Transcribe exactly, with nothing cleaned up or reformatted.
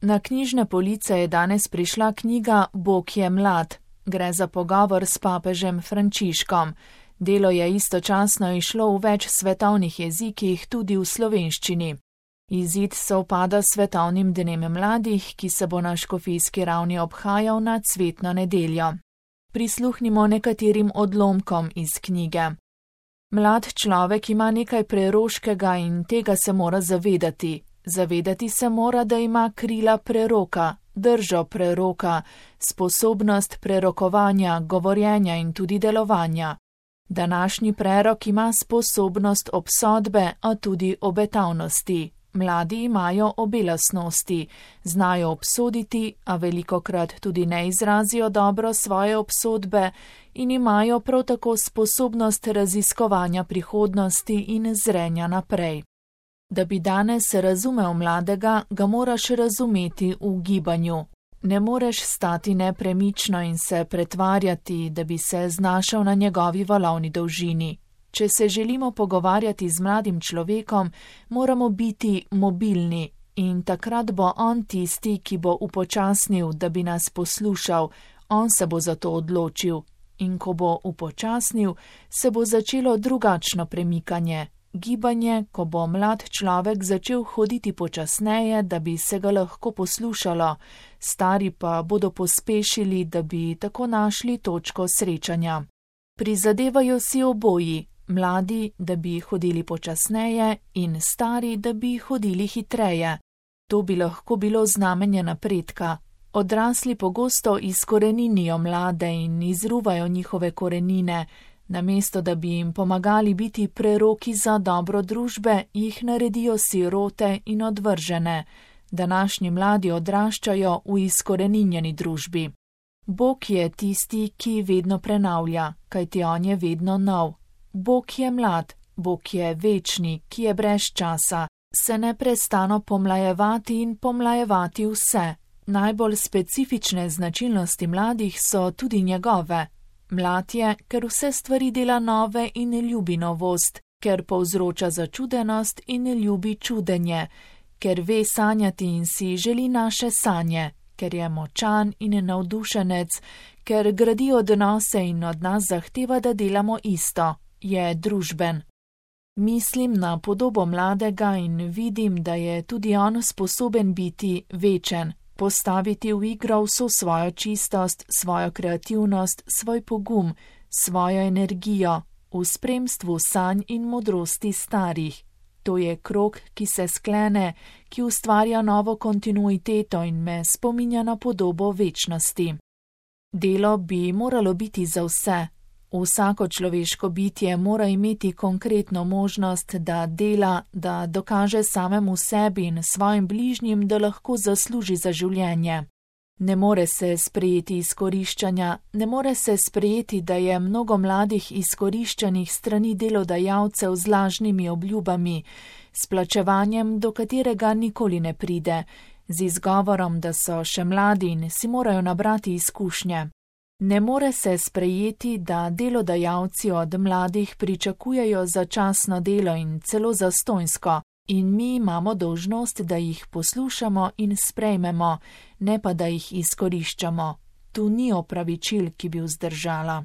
Na knjižne police je danes prišla knjiga Bog je mlad. Gre za pogovor s papežem Frančiškom. Delo je istočasno išlo v več svetovnih jezikih, tudi v slovenščini. Izid sovpada s svetovnim dnem mladih, ki se bo na škofijski ravni obhajal na cvetno nedeljo. Prisluhnimo nekaterim odlomkom iz knjige. Mlad človek ima nekaj preroškega in tega se mora zavedati. Zavedati se mora, da ima krila preroka, držo preroka, sposobnost prerokovanja, govorjenja in tudi delovanja. Današnji prerok ima sposobnost obsodbe, a tudi obetavnosti. Mladi imajo obe lastnosti, znajo obsoditi, a velikokrat tudi ne izrazijo dobro svoje obsodbe in imajo prav tako sposobnost raziskovanja prihodnosti in zrenja naprej. Da bi danes razumel mladega, ga moraš razumeti v gibanju. Ne moreš stati nepremično in se pretvarjati, da bi se znašel na njegovi valovni dolžini. Če se želimo pogovarjati z mladim človekom, moramo biti mobilni in takrat bo on tisti, ki bo upočasnil, da bi nas poslušal, on se bo za to odločil. In ko bo upočasnil, se bo začelo drugačno premikanje. Gibanje, ko bo mlad človek začel hoditi počasneje, da bi se ga lahko poslušalo, stari pa bodo pospešili, da bi tako našli točko srečanja. Prizadevajo si oboji, mladi, da bi hodili počasneje in stari, da bi hodili hitreje. To bi lahko bilo znamenje napredka. Odrasli pogosto izkoreninijo mlade in izruvajo njihove korenine. Namesto da bi jim pomagali biti preroki za dobro družbe, jih naredijo sirote in odvržene. Današnji mladi odraščajo v izkoreninjeni družbi. Bog je tisti, ki vedno prenavlja, kajti on je vedno nov. Bog je mlad, Bog je večni, ki je brez časa, se neprestano pomlajevati in pomlajevati vse. Najbolj specifične značilnosti mladih so tudi njegove. Mlad je, ker vse stvari dela nove in ljubi novost, ker povzroča začudenost in ljubi čudenje, ker ve sanjati in si želi naše sanje, ker je močan in navdušenec, ker gradi odnose in od nas zahteva, da delamo isto, je družben. Mislim na podobo mladega in vidim, da je tudi on sposoben biti večen. Postaviti v igro vso svojo čistost, svojo kreativnost, svoj pogum, svojo energijo, v spremstvu sanj in modrosti starih. To je krog, ki se sklene, ki ustvarja novo kontinuiteto in me spominja na podobo večnosti. Delo bi moralo biti za vse. Vsako človeško bitje mora imeti konkretno možnost, da dela, da dokaže samemu sebi in svojim bližnjim, da lahko zasluži za življenje. Ne more se sprejeti izkoriščanja, ne more se sprejeti, da je mnogo mladih izkoriščanih strani delodajalcev z lažnimi obljubami, s plačevanjem, do katerega nikoli ne pride, z izgovorom, da so še mladi in si morajo nabrati izkušnje. Ne more se sprejeti, da delodajalci od mladih pričakujejo začasno delo in celo zastonjsko, in mi imamo dolžnost, da jih poslušamo in sprejmemo, ne pa da jih izkoriščamo. Tu ni opravičil, ki bi vzdržala.